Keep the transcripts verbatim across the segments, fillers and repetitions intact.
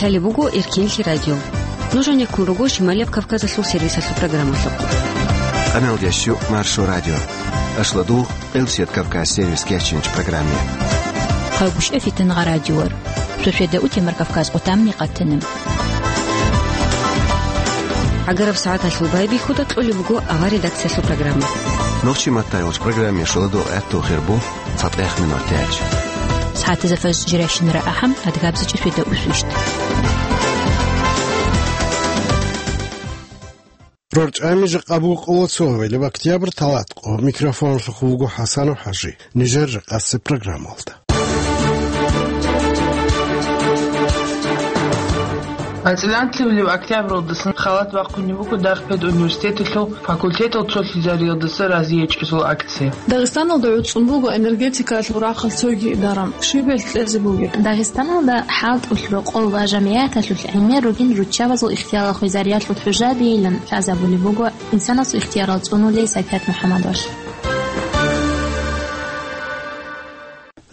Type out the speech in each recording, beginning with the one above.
Лъалеб буго Эркенлъи радио. Нуж гьанеккун руго Шималияб Кавказалъул сервисалъул программалъухъ. Къаналдящу Маршо радио. Ашладугъ Элсият Кавказ сервис кечинч программе. Хъагушев Фитангъа радиор. Сосведа утемар Кавказ къутамни къатанем. ГӀагараб сагӀаталъул байбихьуда кьолеб буго авар редакциялъул программа. Нохчи маттайолч программе шоладо гӀатту хирбу. Фатех минутач. СагӀатазда фаз жиращинара ахӀам, адгабзачӀи светаусвищ. РорчӀами жакъа буго къоло цо авилаб октябрь, талат къо. Микрофонлъухъ вуго ХӀасанов ХӀажи. Нижер жакъасеб программалда. АцӀиланлъивлив октябралдасан халат бахъунеб буго Дарх педуниверситеталъул факультетал цолъизариялдаса разиячӀезул акция. Дагъистаналда гӀуцӀун буго энергетикаялъул рахъалъ цоги даран, щиб гьелъ кьезе бугеб? Дагъистаналда хӀалтӀулъ рокъов ва жамгӀияталъулъ гӀемер ругин руччабазул ихтиярал хвезариялъул хӀужа бейилан лъазабулеб буго инсанасул ихтиярал цӀунулей Сайпят МухӀаммадовалъ.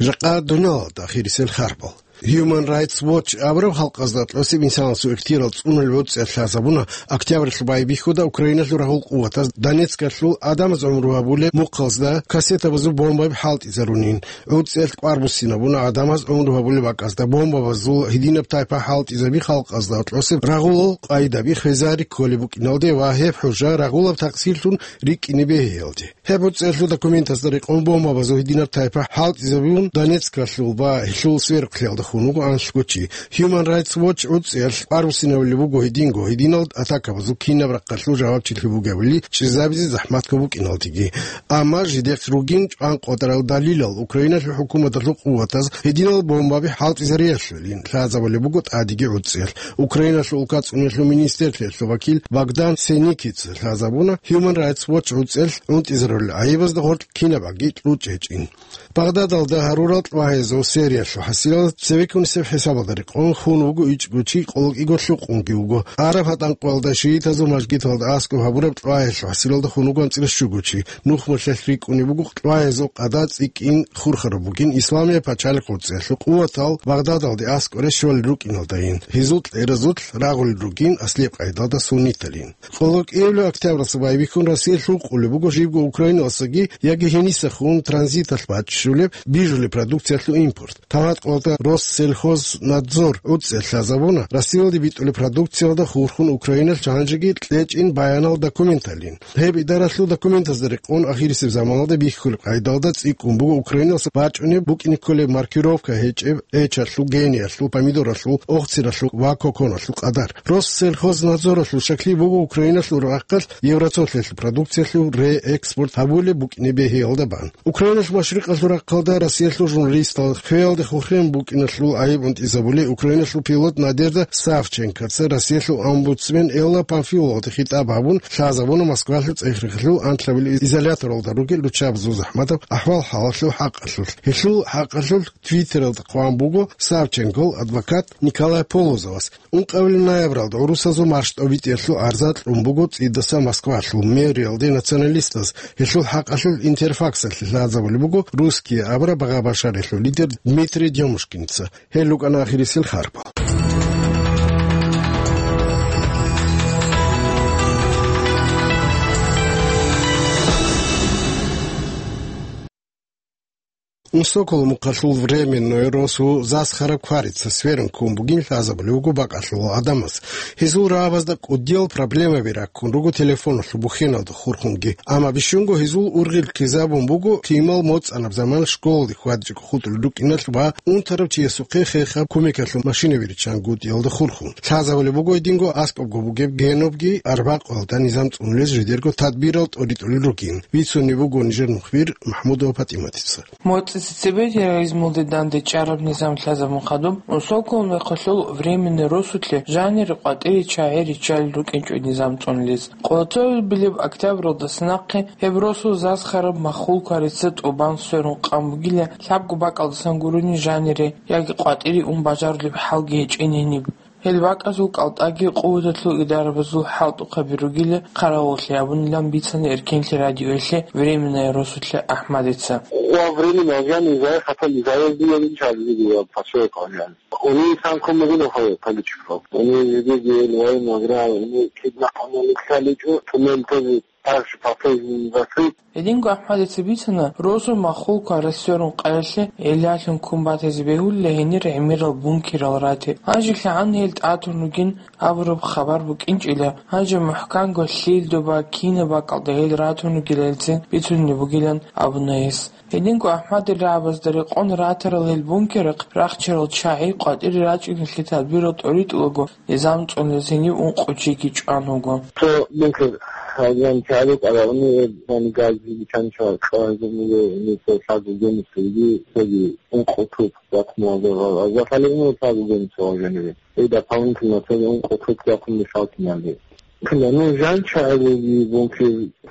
Жакъа дуниялалда ахирисел харбал. Human Rights Watch абураб халкъазда тӀосиб инсанасул ихтиярал цӀунулел гӀуцӀиялъ лъазабуна октябрьалъул байбихьуда Украиналъул рагъул къуватаз Донецкалъул адамаз гӀумру гьабулеб мухъазда кассетабазул бомбаби хӀалтӀизарунин. ГӀуцӀиялъ кӀвар буссинабуна адамаз гӀумру гьабулеб бакӀазда бомбабазул гьединаб тайпа хӀалтӀизаби халкъазда тӀосиб рагъулал къайдаби хвезари кколеб букӀиналде ва гьеб хӀужа рагъулаб такъсирлъун рикӀкӀине бегьиялде. Гьеб гӀуцӀиялъул документазда рекъон бомбабазул гьединаб тайпа хӀалтӀизабун Донецкалъул ва гьелъул сверухълъиялда хун вуго анлъго чи. Human Rights Watch гӀуцӀиялъ кӀвар буссинабулеб буго гьединго, гьединал атакабазул кинаб рахъалъул жавабчилъи бугебали чӀезабизе захӀматго букӀиналдеги. Амма жидехъ ругин чӀван къватӀарал далилал Украиналъул хӀукуматалъул къуватаз гьединал бомбаби хӀалтӀизариялъулин лъазабулеб буго тӀадеги гӀуцӀиялъ. Украиналъул улкацӀунелъул министрлъиялъул вакил Богдан Сеникица лъазабуна Human Rights Watch гӀуцӀиялъ гӀунтӀизарулел гӀайибазда гъоркь кинаб аги кьучӀ гьечӀин. Багъдадалда гьарурал кьвагьазул сериялъул хӀасилал цевеккунисеб хӀисабалда рекъон хун вуго ичӀго чи, къолокӀиго лъукъунги вуго. Арафат анкъвалда шиитазул мажгиталда аскӀоб гьабураб кьвагьалъул хӀасилалда хун вуго анцӀила щуго чи. Нухмулъелъ рикӀкӀунеб буго кьвагьазул къада цӀикӀкӀин хурхараб бугин Исламияб пачалихъ гӀуцӀиялъул къуватал Багъдадалде аскӀоре щолел рукӀиналдайин. Гьезул кьеразулъ рагъулел ругин аслияб къайдалда сунниталин. КъолокӀияб октябралъа байбихьун Россиялъ гьукъулеб буго жибго Украиналдасаги яги гьенисахун транзиталъ бачӀчӀулеб бижулеб продукциялъул импорт. Тагьат къвалда Россельхознадзор гӀуцӀиялъ лъазабуна Россиялде битӀулеб продукциялда хурхун Украиналъ гьанжеги кьечӀин баянал документалин. Гьеб идаралъул документазда рекъон ахирисеб заманалда бихьулеб къайдалда цӀикӀкӀун буго Украиналъа бачӀунеб букӀине кколеб маркировка гьечӀеб эчалъул, гениялъул, помидоралъул, охциралъул ва коконалъул къадар. Россельхознадзоралъул щаклъи буго Украиналъул рахъалъ Евроцолъиялъул продукциялъул реэкспорт гьабулеб букӀине бегьиялда бан. Украиналъ машрикъалъул рахъалда Россиялъул журналистал хвеялде хурхен букӀиналъул гӀайиб унтӀизабули, Украиналъул пилот Надежда Савченкоца Россиялъул омбудсмен Элла Памфиловалде хитӀаб гьабун лъазабуна Москвалъул цӀехрехалъул анлъабилеб изоляторалда ругел руччабазул захӀматаб ахӀвал-хӀалалъул хӀакъалъулъ. Гьелъул хӀакъалъулъ Твиттералда хъван буго Савченкол адвокат Николай Полозовас. Ункъабилеб ноябралда гӀурусазул маршал тӀобитӀиялъул арза кьун буго цӀидасан Москвалъул мэриялде националистаз. Гьелъул хӀакъалъулъ Интерфаксалъе лъазабулеб буго «Русские» абураб багъа-башариялъул лидер Дмитрий Демушкинца. Гьел рукӀана ахирисел харпал. Унсокол мухъалъул временной росу Засхараб кварица сверун ккун бугин лъазабулеб буго бакӀалъулал гӀадамаз. Гьезул рагӀабазда кӀудиял проблемаби раккун руго телефоналъул бухьеналда хурхунги. Амма бищунго гьезул ургъел ккезабун буго, лъимал моцӀанаб заман школалде хьвадичӀого хутӀулел рукӀиналъ ва унтарав чиясухъе хехаб кумекалъул машинаби риччан гутӀиялда хурхун. Лъазабулеб буго гьединго аскӀобго бугеб генобги арбакъоялда низам цӀунулез жидерго тадбирал тӀоритӀулел ругин. Бицунеб буго нижер мухбир МахӀмудова ПатӀиматица. МоцӀица цебе терроризмалде дандечӀараб низам лъазабун хадуб, унсоколмехалъул временный росулъе жанире къватӀире чагӀи риччалел рукӀинчӀо низам цӀунулез. Къолоцовил билеб октябралдаса нахъе гьеб росу Засхараб махул кварица тӀубан сверун къан бугила, лъабго бакӀалдасан гурони жанире яги къватӀире ун бажарулеб хӀалги гьечӀин гьениб. Гьел бакӀазул кӀалтӀаги къуваталъул идарабазул хӀалтӀухъаби ругила хъаравуллъи абунилан бицана Эркенлъи радиоялъе временная росулъа АхӀмадица. Во время нельзя, нельзя, хотя нельзя, я не чалил, я посёлок, я. Они сам кому виноваты политиков. Они видели войну, играли, они киднапали, кидали, то ментози также по-прежнему закрыть. Гьединго АхӀмадица бицана, росу маххул кварас сверун къаялъе гӀиллалъун ккун батизе бегьулила гьенир гӀемерал бункерал рати. Гьанже лъагӀан гьел тӀатун ругин абураб хабар букӀинчӀила, гьанже мухӀканго лъил доба, кина бакӀалда гьел ратун ругелалцин бицунеб бугилан абуна гьес. Гьединго АхӀмадил рагӀабазда рекъон ратарал гьел бункерахъ рахчарал чагӀи къватӀире рачӀиналъе тадбирал тӀоритӀулаго, низам цӀуназе гьениб ункъо чиги чӀван вуго. Цо бункер гьалжан чагӀи рукӀарални, гьеб гьаниб газги биччанчӀо чӀвазе буго, гьениб цо лъабго генисеги, цоги ункъо туп вахъуналда гьал. Аза хӀалеб мун лъабго генисал гьалжанибе. Гьеб дополнительно цоги ункъо туп вахъун мешалтиналде. Кла, ну, жан чагӀи буги бункер,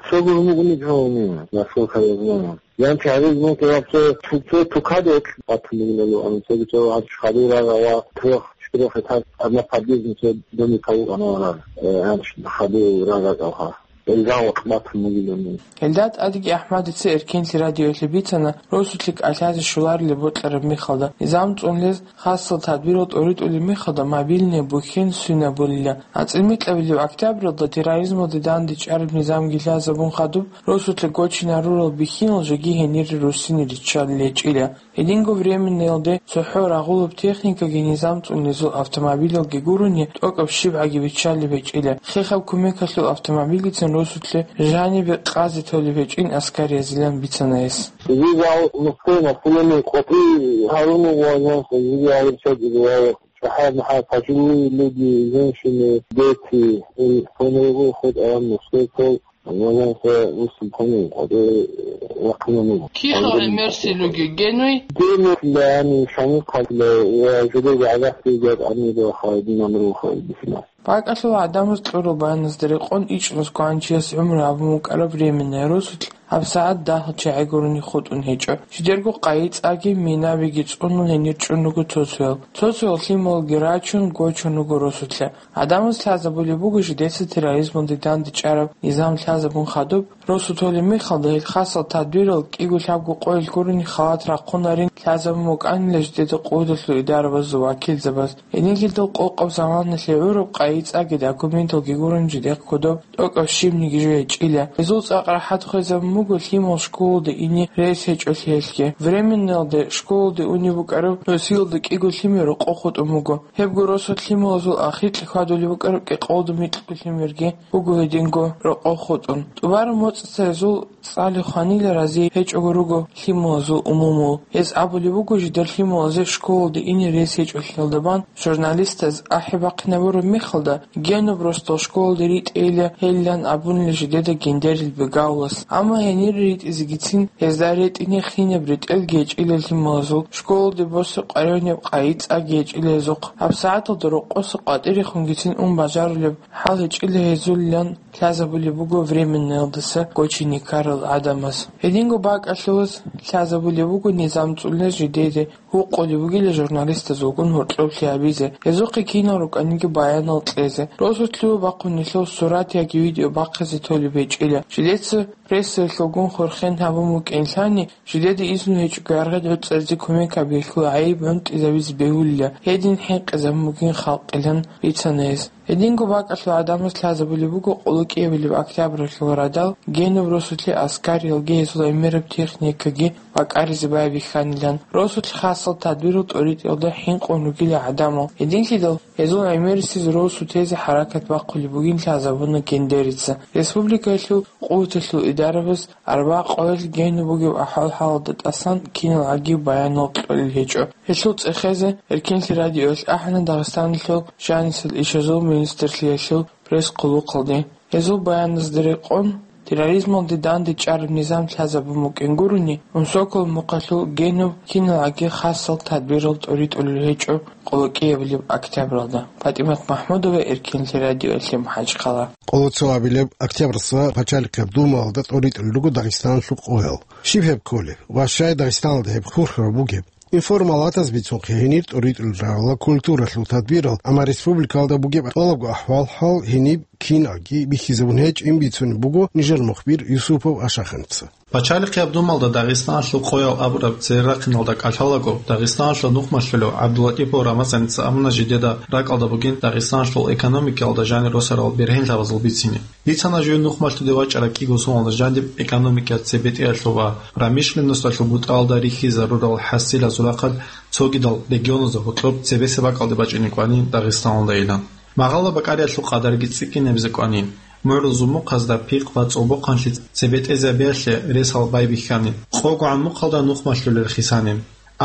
цо гур мугъни жавни, насколько я знаю. Жан чагӀи бункер вообще цо, цо тукадек батун бугилан, цоги цо гьач хадур рагъа ва трёх-четырёх этаж, одна подъездный цо домик авур анаварар, э, гьач хадур рагъа кӀалха. Элган вахъ батун бугилан. Гьелда тӀадги АхӀмадица Эркенлъи радиоялъе бицана, росулъи кӀалъазе щоларилеб бокьараб мехалда, низам цӀунлез хасал тадбирал тӀоритӀулеб мехалда мобильный бухьен сунабулила. АцӀил микьабилеб октябралда терроризмалде дандечӀараб низамги лъазабун хадуб, росулъи гочинарурал бихьинал жеги гьенире руссине риччалел гьечӀила. Гьединго временнаялде цохӀо рагъулаб техникаги низам цӀунезул автомобилалги гурони, тӀокӀаб щибгӀаги биччалеб гьечӀила. Хехаб кумекалъул автомобилицин росулъе жанибе къазе толеб гьечӀин аскариязилан бицана гьес. Здесь мужской население, копы, Харунов ванял, здесь говорит, что говорит, что хай, хай, пожилые люди, женщины, дети, и кто не выходит, а мужской пол, ванял, что выступление, копы, вакуумный. Кихал гӀемерси луги генуй? Генуй, да, они шамикалле, я жуде гагас идет, они до хайдин амру хайдисна. БакӀалъул гӀадамаз кьурул баяназда рекъон ичӀнус кванчияс гӀумру гьабун вукӀараб временная росулъ гьабсагӀат дагьал чагӀи гурони хутӀун гьечӀо. Жидерго къайи-цӀаги, минабиги цӀунул гьенир чӀун руго цо-цоял. Цо-цоял лъималги рачун, гочун руго росулъа. ГӀадамаз лъазабулеб буго жидеца терроризмалде дандечӀараб низам лъазабун хадуб, росу толеб мехалда гьел хасал тадбирал кӀиго-лъабго къоялъ гурони халат рахъунарин лъазабун букӀанила жидеда къуваталъул идарабазул вакилзабаз. Гьединлъидал къокъаб заманалъе гӀураб къайи-цӀаги документалги гурони жидехъ кодоб тӀокӀаб щибниги жо гьечӀила. Гьезул цӀакъ рахӀат хвезабун буго лъимал школалде ине рес гьечӀолъиялъги. Временнаялде школалде унеб букӀараб носилалда кӀиго лъимер рокъов хутӀун буго. Гьебго росулъ лъималазул ахиркье хьвадулеб букӀараб кӀикъоялда микьго лъимерги буго гьединго рокъов хутӀун. ТӀубараб моцӀица гьезул цӀали хванила рази гьечӀого руго лъималазул умумул. Гьез абулеб буго жидер лъималазе школалде ине рес гьечӀолъиялда бан журналистаз ахӀи бахъинабураб мехалда, генуб росдал школалде ритӀейила гьелилан абунила жидеда гендерил бегавлас. Амма гьенире ритӀизегицин гьезда ретӀине хинаб ретӀелги гьечӀила лъималазул, школалде босеб къваригӀунеб къайи-цӀаги гьечӀила гьезухъ. ГьабсагӀаталда рокъоса къватӀирехунгицин ун бажарулеб хӀал гьечӀила гьезулилан лъазабулеб буго временнаялдаса гочине ккарал гӀадамаз. Гьединго бакӀалъулаз лъазабулеб буго низам цӀунез жидеде гьукъулеб бугила журналистазулгун гьоркьоблъи гьабизе, гьезухъе кинал рукӀаниги баянал кьезе. Росулъ лъугьа-бахъун нилъер сурат яги видео бахъизе толеб гьечӀила. Жидеца прессаялъулгун хурхен гьабун букӀинлъани, жидеда изну гьечӀого яргъи гӀуцӀаризе кумек гьабиялъул гӀайиб гӀунтӀизабизе бегьулила, гьедин хӀинкъизабун бугин халкъилан бицана гьес. Гьединго бакӀалъул гӀадамаз лъазабулеб буго къуллукъиябилеб октябралъул радал генуб росулъе аскариялги гьезул гӀемераб техникаги бакӀаризе байбихьанилан. Росулъ хасал тадбирал тӀоритӀиялда хӀинкъун ругила гӀадамал. Гьединлъидал гьезул гӀемерисез росу тезе хӀаракат бахъулеб бугин лъазабуна гендерица. Республикаялъул къуваталъул идарабаз арба къоялъ генуб бугеб ахӀвал-хӀалалда тӀасан кинал гӀагиб баянал кьолел гьечӀо. Гьелъул цӀехезе Эркенлъи радиоялъ ахӀана Дагъистаналъул жанисел ишазул министрлъиялъул пресс-хъулухъалде. Гьезул баяназда рекъон, терроризмалде дандечӀараб низам лъазабун букӀин гурони, Унсокол мухъалъул генуб кинал гӀаги хасал тадбирал тӀоритӀулел гьечӀо къуллукъиябилеб октябралда. ПатӀимат МахӀмудова, Эркенлъи радиоялъе, МахӀачхъала. Къоло цо абилеб октябралъа пачалихъаб Думаялда тӀоритӀулел руго Дагъистаналъул къоял. Щиб гьеб кколеб ва щай Дагъистаналда гьеб хурхараб бугеб? Информалатаз бицунхъе гьенир тӀоритӀулел рагӀула культуралъул тадбирал, амма республикалда бугеб тӀолабго ахӀвал-хӀал гьениб киналги бихьизабун гьечӀин бицунеб буго нижер мухбир Юсупов Ашаханца. Пачалихъияб думалда Дагъистаналъул къоял абураб цере рахъиналда кӀалъалаго, Дагъистаналъул нухмалъулев ГӀабдулатӀипов Рамазаница абуна жидеда ракӀалда бугин Дагъистаналъул экономикаялда жанир росарал бергьенлъабазул бицине. Бицана жив нухмалъуде вачӀараб кӀиго соналда жандиб экономикаялъ цебетӀеялъул ва промышленносталъул бутӀаялда рихьизарурал хӀасилазул рахъалъ цогидал регионазда гьоркьоб цебесеб бакӀалде бачӀине кӀванин Дагъистаналдайилан. Магъала бакӀариялъул къадарги цӀикӀкӀинабизе кӀванин. МугӀрузул мухъазда пихъ ва цӀолбохъанлъи цебетӀезабиялъе ресал байбихьанин. КъогогӀан мухъалда нухмалъулел хисанин.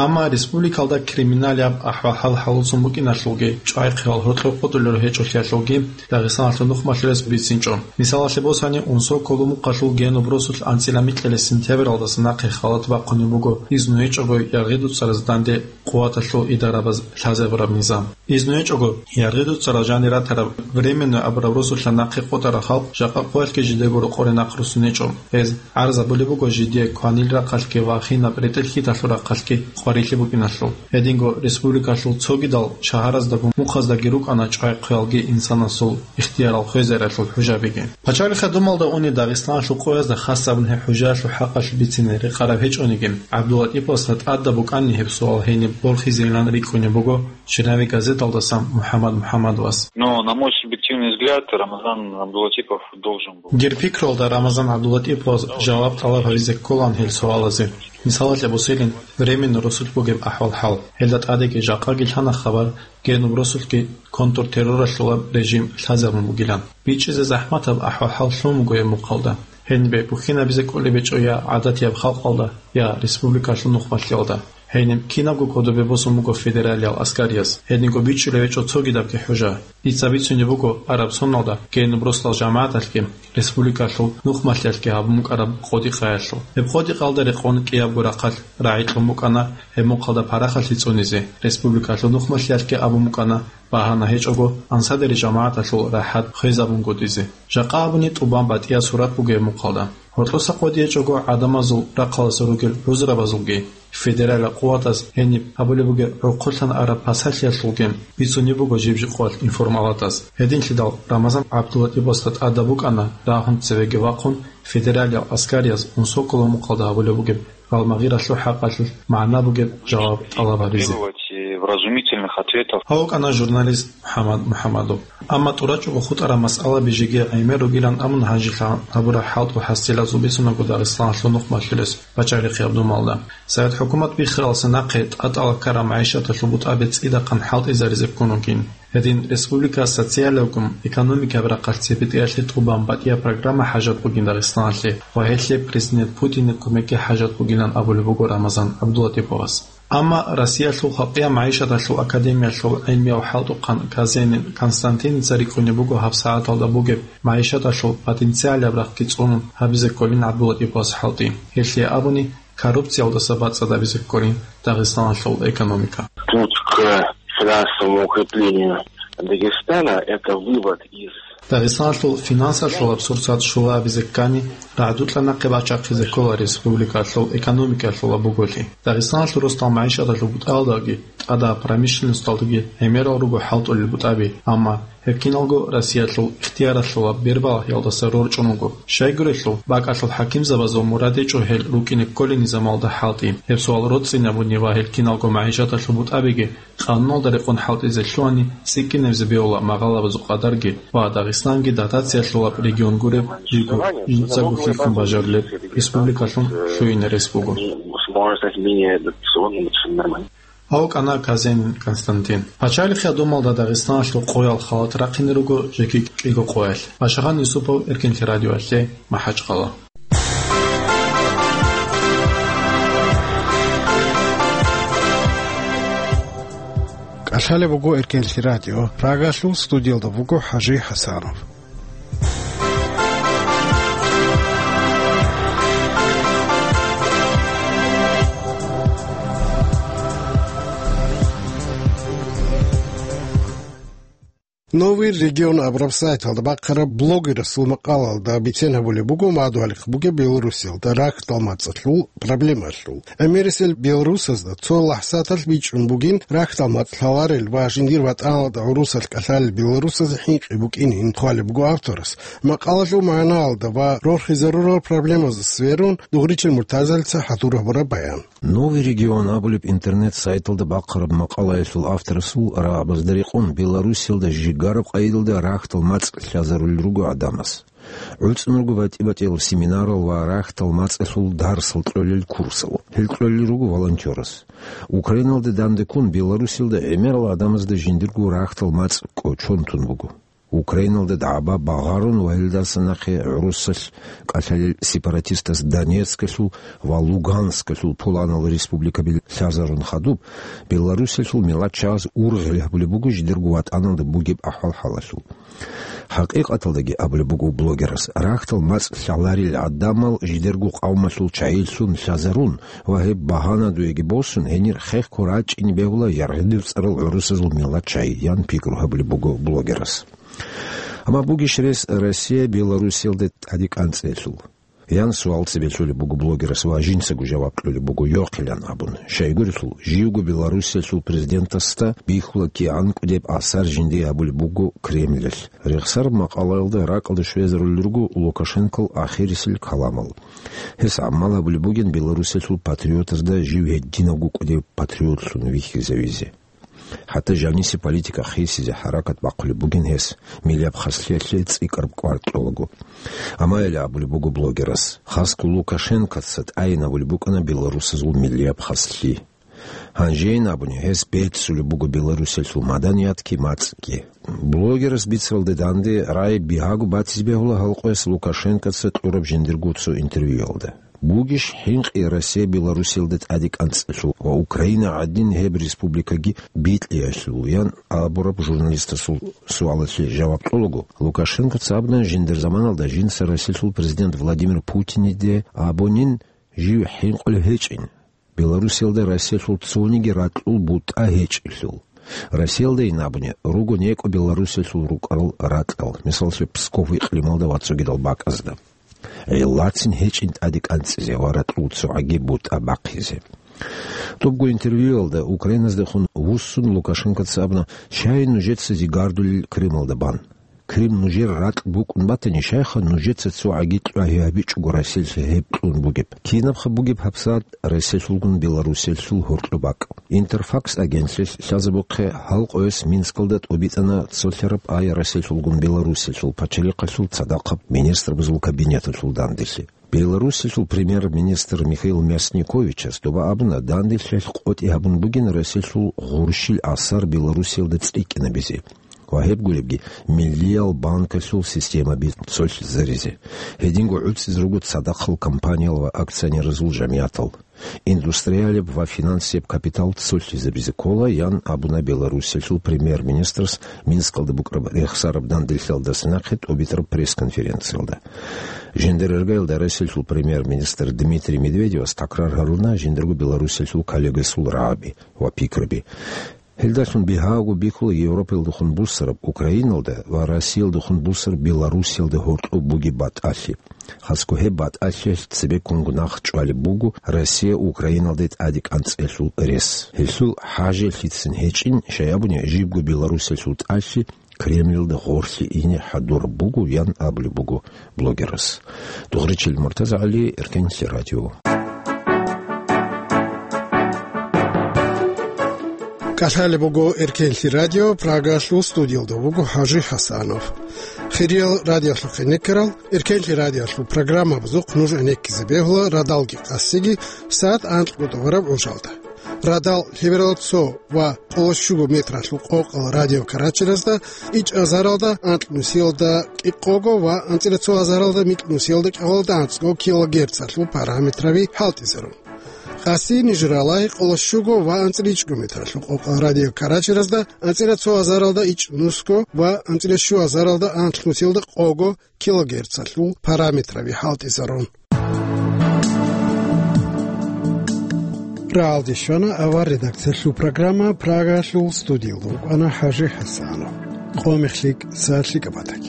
Амма республикалда криминалияб ахӀвал-хӀал хӀалуцун букӀиналъулги, чӀвай-хъвал гьоркьоб къотӀулел гьечӀолъиялъулги Дагъистаналъул нухмалъулес бицинчӀо. Мисалалъе босани, Унсоколо мухъалъул Генуб росулъ анцӀила микьилес сентябралдаса нахъе халат бахъунеб буго изну гьечӀого яргъи дуцӀараз данде къуваталъул идарабаз лъазабураб низам. Изну гьечӀого яргъи дуцӀарал жанир ратараб Временное абураб росулъа нахъе къотӀарал халкъ жакъа къоялъги жидего рокъоре нахъ руссун гьечӀо. Гьез гӀарзабулеб буго жидее кванил рахъалъги ва хинаб ретӀел-хьиталъул рахъалъги къварилъи букӀиналъул. Гьединго республикалъул цогидал шагьараздаго мухъаздаги рукӀана чӀвай-хъвалги инсанасул ихтиярал хвезариялъул хӀужабиги. Пачалихъа думалда уни Дагъистаналъул къоязда хасабун гьеб хӀужаялъул хӀакъалъулъ бицине рекъараб гьечӀониги, ГӀабдулатӀиповасда тӀадаб букӀанни гьеб суал гьениб борхизейилан рикӀкӀунеб буго Чинави газеталдасан МухӀаммад МухӀаммадовас. Но, на мой субъективный взгляд, Рамазан Абдулатипов должен был. Дир пикруялда Рамазан ГӀабдулатиповас жаваб тӀалаб гьабизе кколаан гьел суалазе. Мисалалъе босилин, временно росулъ бугеб ахӀвал-хӀал. Гьелда тӀадеги жакъаги лъана хабар, Генуб росулъги контртерроралъулаб режим лъазабун бугилан. БичӀчӀизе захӀматаб ахӀвал-хӀал лъун буго гьеб мухъалда. Гьенибе бухьинабизе кӀолеб гьечӀо я гӀадатияб халкъалда, я республикалъул нухмалъиялда. Гьениб кинабго кодобе босун буго федералиял аскариялъ, гьединго бичӀчӀулеб гьечӀо цогидабги хӀужа. Дица бицунеб буго араб соналда Генуб росдал жамагӀаталъги, республикалъул нухмалъиялъги гьабун букӀараб къодикъаялъул. Гьеб къодикъаялда рекъон кӀиябго рахъалъ рагӀи кьун букӀана гьеб мухъалда парахалъи цӀунизе, республикалъул нухмалъиялъги абун букӀана багьана гьечӀого ансадери жамагӀаталъул рахӀат хвезабунгутӀизе. Жакъа абуни тӀубан батӀиял сурат буго гьеб мухъалда. Гьоркьоса къоди гьечӀого гӀадамазул рахъаласе ругел гӀузрабазулги, федералил къуватаз гьениб гьабулеб бугеб гӀурхъулъан араб пасалъиялъулги бицунеб буго жиб-жиб къоялъ информалатаз. Гьединлъидал Рамазан ГӀабдулатиповасда тӀадаб букӀана рагьун цевеги вахъун федералиял аскарияз Унсоколо мухъалда гьабулеб бугеб гьалмагъиралъул хӀакъалъулъ магӀна бугеб жаваб тӀалаб гьабизе. Делать и вразумительных ответов. Гьав вукӀана журналист МухӀаммад МухӀаммадов. Амма тӀурачӀого хутӀараб масъалаби жеги гӀемер ругилан абун гьанжелъа гьабураб хӀалтӀул хӀасилазул бицунаго Дагъистаналъул нухмалъулес пачалихъияб думалда. Совет хӀукумат биххаралдаса нахъе тӀатӀала ккараб магӀишаталъул бутӀаби цӀидахъан хӀалтӀизаризе ккун вугин. Гьедин республика социалиябгун экономикаяб рахъалъ цебетӀеялъе тӀубан батӀияб программа хӀажат бугин Дагъистаналъе ва гьелъе президент Путинил кумекги хӀажат бугилан абулеб буго Рамазан ГӀабдулатиповас. Амма Россиялъул халкъияб магӀишаталъул академиялъул гӀилмияв хӀалтӀухъан Казенин Константиница рикӀкӀунеб буго гьабсагӀаталда бугеб магӀишаталъул потенциалияб рахъги цӀунун гьабизе кколин ГӀабдулатиповас хӀалтӀи. Гьелъие абуни, коррупциялдаса бацӀцӀад гьабизе кколин Дагъистаналъул экономика. Путь к финансовому укреплению Дагестана — это вывод из Дагъистаналъул финансалъулаб сурсат щула абизе ккани, рагӀдукьа нахъе бачахъизе ккола республикалъул экономикалъула буголъи. Дагъистаналъул росдал магӀишаталъул бутӀалдаги тӀадаб промышленносталдаги гӀемерал руго хӀалтӀулел бутӀаби, амма гьеб киналго Россиялъул ихтияралъула бербалъиялдаса рорчӀун вуго. Щайгурелъул, бакӀалъул хӀакимзабазул мурад гьечӀо гьел рукӀине кколел низамалда хӀалтӀи. Гьеб суал роцӀцӀинабуни ва гьел киналго магӀишаталъул бутӀабиги къануналда рекъон хӀалтӀизе лъугьани, цӀикӀкӀинабизе бегьула магъалабазул къадарги ва Дагъистанги дотациялъулаб регион гуреб жиго, жинцаго хихьун бажарулеб республикалъун лъугьине рес буго. Возможность менее дотационным, это всё нормально. Гьав вукӀана Казенин Константин. Пачалихъияб думалда Дагъистаналъул къоял халат рахъине руго жеги кӀиго къоялъ. Башагъан Юсупов, Эркенлъи радиоялъе, МахӀачкъала. КӀалъалеб буго Эркенлъи радио. Прагалъул студиялда вуго ХӀажи ХӀасанов. Новый регион абураб сайталда бахъараб блогерасул макъалалда бицен гьабулеб буго мадугьалихъ бугеб Белоруссиялда рахьдал мацӀалъул проблемалъул. ГӀемерисел белорусазда цо лахӀзаталъ бичӀчӀун бугин рахьдал мацӀ лъаларел ва жиндир ватӀаналда гӀурусалъ кӀалъалел белорусазе хӀинкъи букӀинин хъвалеб буго авторас. Макъалалъул магӀнаялда ва рорхизарурал проблемазда сверун, Дугъричил Муртазалица хӀадур гьабураб баян. Новый регион абулеб интернет-сайталда бахъараб макъалаялъул авторасул рагӀабазда рекъон Белоруссиялда жигараб къайдалда рахьдал мацӀ лъазарулел руго гӀадамаз. ГӀуцӀун руго батӀи-батӀиял семинарал ва рахьдал мацӀалъул дарсал кьолел курсал. Гьел кьолел руго волонтерас. Украиналда данде ккун Белоруссиялда гӀемерал гӀадамазда жиндирго рахьдал мацӀ кӀочон тун буго. Украиналда дагӀба багъарун ва гьелдаса нахъе гӀурусалъ кӀалъалел сепаратистас Донецкалъул ва Луганскалъул пуланал республикаби лъазарун хадуб, Белоруссиялъул миллатчагӀаз ургъел гьабулеб буго жидерго ватӀаналда бугеб ахӀвал-хӀалалъул. ХӀакъикъаталдаги абулеб буго блогерас, рахьдал мацӀ лъаларел гӀадамал жидерго къавмалъул чагӀилъун лъазарун ва гьеб багьанадуеги босун, гьенир хехго рачӀине бегьула яргъидив цӀарал гӀурусазул миллатчагӀи, ян пикру гьабулеб буго блогерас. Амма бугищ рес Россия Белоруссиялда тӀаде кӀанцӀелъул? Ян суал цебе лъолеб буго блогерас ва жинцаго жаваб кьолеб буго йохъилан абун. Щайгурелъул, живго Белоруссиялъул президентасда бихьула кигӀан кӀудеб асар жиндие гьабулеб буго Кремльалъ. Рехсараб макъалаялда ракӀалде щвезарулел руго Лукашенкол ахирисел каламал. Гьес гӀамал гьабулеб бугин Белоруссиялъул патриотазда жив гьединавго кӀудев патриотлъун вихьизавизе. ХӀатта жанисе политика хисизе хӀаракат бахъулеб бугин гьес, миллияб хаслъиялъе цӀикӀкӀараб кӀвар кьолаго. Амма гьеле абулеб буго блогерас, хасго Лукашенкоца тӀайин абулеб букӀана белорусазул миллияб хаслъи. Гьанжейин абуни, гьес беццулеб буго Белоруссиялъул маданиятги мацӀги. Блогерас бицаралде данде рагӀи бигьаго батизе бегьула гьалкъояс Лукашенкоца кьураб жиндирго цо интервьюялда. Бугищ хӀинкъи Россия Белоруссиялда тӀаде кӀанцӀелъул ва Украина гӀадин гьеб республикаги бикьиялъул, ян абураб журналистасул суалалъе жаваб кьолаго, Лукашенкоца абуна жиндир заманалда жинца Россиялъул президент Владимир Путиниде абунин жив хӀинкъулев гьечӀин. Белоруссиялда Россиялъул цониги ракьул бутӀа гьечӀелъул. Россиялдайин абуни, руго некӀо Белоруссиялъул рукӀарал ракьал, мисаллъе, Псков икълималда ва цогидал бакӀазда. Гьелдацин гьечӀин тӀаде кӀанцӀизе ва ракьул цогӀаги бутӀа бахъизе. Топго интервьюялда Украиназдехун вуссун Лукашенкоца абуна, щай нужеца зигардулел Крымалда бан. Крым нужер ракь букӀун батани, щайха нужеца цогӀаги кьвагьи гьабичӀого Россиялъе гьеб кьун бугеб? Кинабха бугеб гьабсагӀат Россиялъулгун Белоруссиялъул гьоркьоб бакӀ? Интерфакс агентлъи лъазабухъе гьалкъояс Минскалда тӀобитӀана цолъараб ай Россиялъулгун Белоруссиялъул пачалихъалъул цадахъаб министрабазул кабинеталъул данделъи. Белоруссиялъул премьер-министр Михаил Мясниковичас доба абуна данделъиялъ къотӀи гьабун бугин Россиялъул гъурщил асар Белоруссиялда цӀикӀкӀинабизе ва гьеб гуребги миллиял банкалъул системаби цолъизаризе. Гьединго гӀуцӀизе руго цадахъал компаниял ва акционерзул жамиятал. Индустриалеб ва финансияб капитал цолъизабизе ккола, ян абуна Белоруссиялъул премьер-министрас Минскалда букӀараб рехсараб данделъиялдаса нахъе тӀобитӀараб пресс-конференциялда. Жиндир иргаялда Россиялъул премьер-министр Дмитрий Медведевас такрар гьаруна жиндирго Белоруссиялъул коллегасул рагӀаби ва пикруби. Гьелдалъун бигьаго бихьула Европаялдехун буссараб Украиналда ва Россиялдехун буссараб Белоруссиялда гьоркьоб бугеб батӀалъи. Хасго гьеб батӀалъиялъ цебеккунго нахъ чӀвалеб буго Россия Украиналде тӀаде кӀанцӀелъул рес. Гьелъул хӀажалъицин гьечӀин, щай абуни, жибго Белоруссиялъул тӀалъи Кремльалда гъорлъе ине хӀадураб буго, ян абулеб буго блогерас. Дугъричил Муртазагьали, Эркенлъи радио. КӀалъалеб буго Эркенлъи радио, Прагалъул студиялда вуго ХӀажи ХӀасанов. Хириял радиолъухъе некерал, Эркенлъи радиолъул программабазухъ нуж гӀенеккизе бегьула радалги къасиги сагӀат анкьго тӀубараб гӀужалда. Радал лъеберал цо ва къоло щуго метралъул къокъал радиокарачиразда ичӀазаралда анкь нусиялда кӀикъого ва анцӀила цо азаралда микь нусиялда кӀикъоялда анцӀго килогерцалъул параметраби хӀалтӀизарун. Къаси ниж ралагьи къоло щуго ва анцӀила ичӀго метралъул къокъал радиокарачиразда анцӀила цо азаралда ичӀ нусго ва анцӀила щу азаралда анкь нусиялда къого килогерцалъул параметраби хӀалтӀизарун. Рагьалде щвана авар редакциялъул программа, Прагалъул студиялда вукӀана ХӀажи ХӀасанов. Къо мехлъи, са лъикӀаб батӀа.